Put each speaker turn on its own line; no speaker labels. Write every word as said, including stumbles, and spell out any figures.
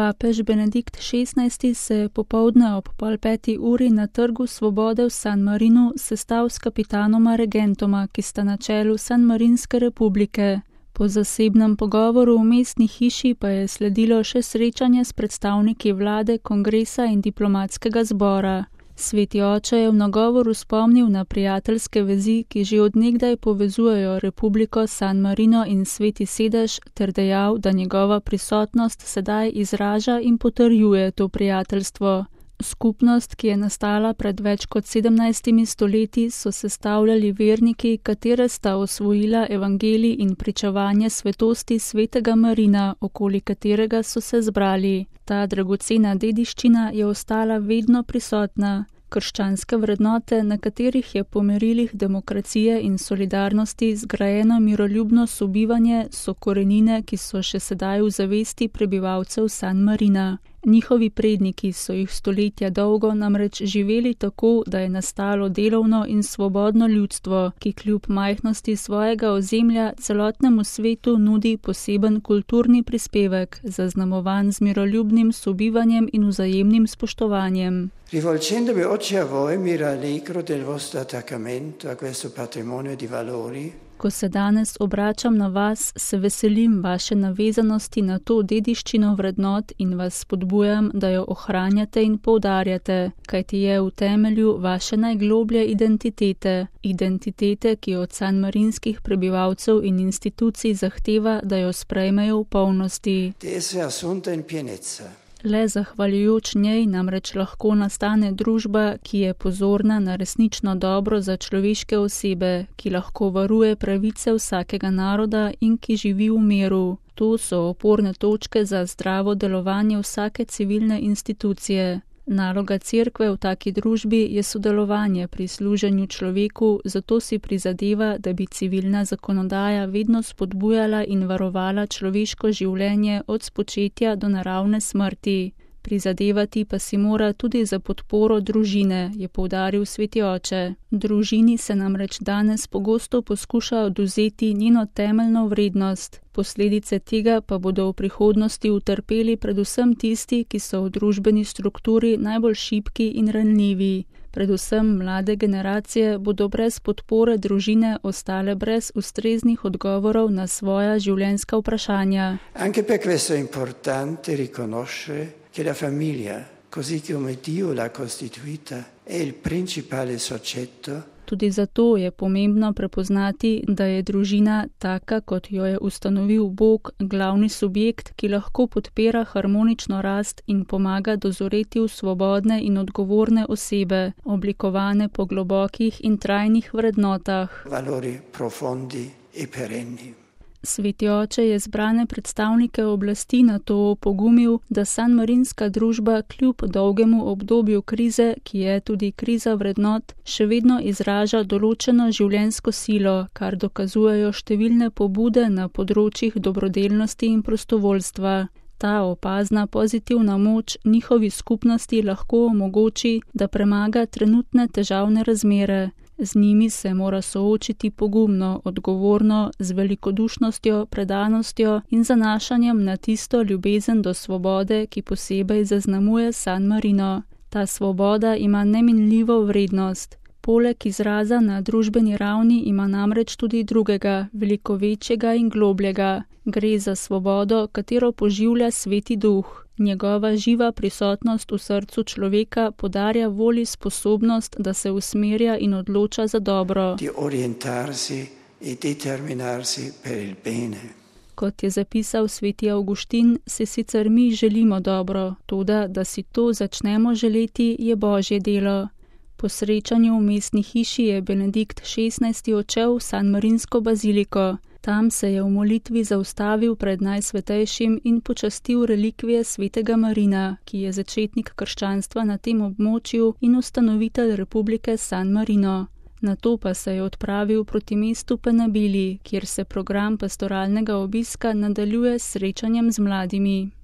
Papež Benedikt šestnajsti se je popoldne ob pol peti uri na Trgu svobode v San Marinu sestal s kapitanoma regentoma, ki sta na čelu Sanmarinske republike. Po zasebnem pogovoru v mestni hiši pa je sledilo še srečanje s predstavniki vlade, kongresa in diplomatskega zbora. Sveti oče je v nagovoru spomnil na prijateljske vezi, ki že od nekdaj povezujejo Republiko San Marino in Sveti sedež, ter dejal, da njegova prisotnost sedaj izraža in potrjuje to prijateljstvo. Skupnost, ki je nastala pred več kot sedemnajstimi stoletji, so sestavljali verniki, katere sta osvojila evangelij in pričevanje svetosti svetega Marina, okoli katerega so se zbrali. Ta dragocena dediščina je ostala vedno prisotna. Krščanske vrednote, na katerih je po merilih demokracije in solidarnosti zgrajeno miroljubno sobivanje, so korenine, ki so še sedaj v zavesti prebivalcev San Marina. Njihovi predniki so jih stoletja dolgo namreč živeli tako, da je nastalo delovno in svobodno ljudstvo, ki kljub majhnosti svojega ozemlja celotnemu svetu nudi poseben kulturni prispevek, zaznamovan z miroljubnim sobivanjem in vzajemnim spoštovanjem.
Rivolgendomi oggi a voi mi rallegro del vostro attaccamento a questo patrimonio di valori.
Ko se danes obračam na vas, se veselim vaše navezanosti na to dediščino vrednot in vas spodbujam, da jo ohranjate in poudarjate, kajti je v temelju vaše najgloblje identitete, identitete, ki od sanmarinskih prebivalcev in institucij zahteva, da jo sprejmejo v polnosti. Le zahvaljujoč njej namreč lahko nastane družba, ki je pozorna na resnično dobro za človeške osebe, ki lahko varuje pravice vsakega naroda in ki živi v miru. To so oporne točke za zdravo delovanje vsake civilne institucije. Naloga cerkve v taki družbi je sodelovanje pri služenju človeku, zato si prizadeva, da bi civilna zakonodaja vedno spodbujala in varovala človeško življenje od spočetja do naravne smrti. Prizadevati pa si mora tudi za podporo družine, je poudaril sveti oče. Družini se namreč danes pogosto poskuša odvzeti njeno temeljno vrednost. Posledice tega pa bodo v prihodnosti utrpeli predvsem tisti, ki so v družbeni strukturi najbolj šibki in ranljivi. Predvsem mlade generacije bodo brez podpore družine ostale brez ustreznih odgovorov na svoja življenjska vprašanja.
Anche per questo è importante riconoscere che la famiglia, così come Dio l'ha costituita, è il principale soggetto.
Tudi zato je pomembno prepoznati, da je družina, taka kot jo je ustanovil Bog, glavni subjekt, ki lahko podpira harmonično rast in pomaga dozoreti v svobodne in odgovorne osebe, oblikovane po globokih in trajnih vrednotah.
Valori profondi e perenni.
Sveti oče je zbrane predstavnike oblasti na to opogumil, da sanmarinska družba kljub dolgemu obdobju krize, ki je tudi kriza vrednot, še vedno izraža določeno življenjsko silo, kar dokazujejo številne pobude na področjih dobrodelnosti in prostovoljstva. Ta opazna pozitivna moč njihovi skupnosti lahko omogoči, da premaga trenutne težavne razmere. Z njimi se mora soočiti pogumno, odgovorno, z velikodušnostjo, predanostjo in zanašanjem na tisto ljubezen do svobode, ki posebej zaznamuje San Marino. Ta svoboda ima neminljivo vrednost. Poleg izraza na družbeni ravni ima namreč tudi drugega, veliko večjega in globljega. Gre za svobodo, katero poživlja Sveti Duh. Njegova živa prisotnost v srcu človeka podarja volji sposobnost, da se usmerja in odloča za dobro.
Di orientarsi e determinarsi per il bene.
Kot je zapisal sveti Avguštin, se sicer mi želimo dobro, toda da si to začnemo želeti, je Božje delo. Po srečanju v mestni hiši je Benedikt šestnajsti odšel v sanmarinsko baziliko. Tam se je v molitvi zaustavil pred najsvetejšim in počastil relikvije svetega Marina, ki je začetnik krščanstva na tem območju in ustanovitelj Republike San Marino. Nato pa se je odpravil proti mestu Penabili, kjer se program pastoralnega obiska nadaljuje s srečanjem z mladimi.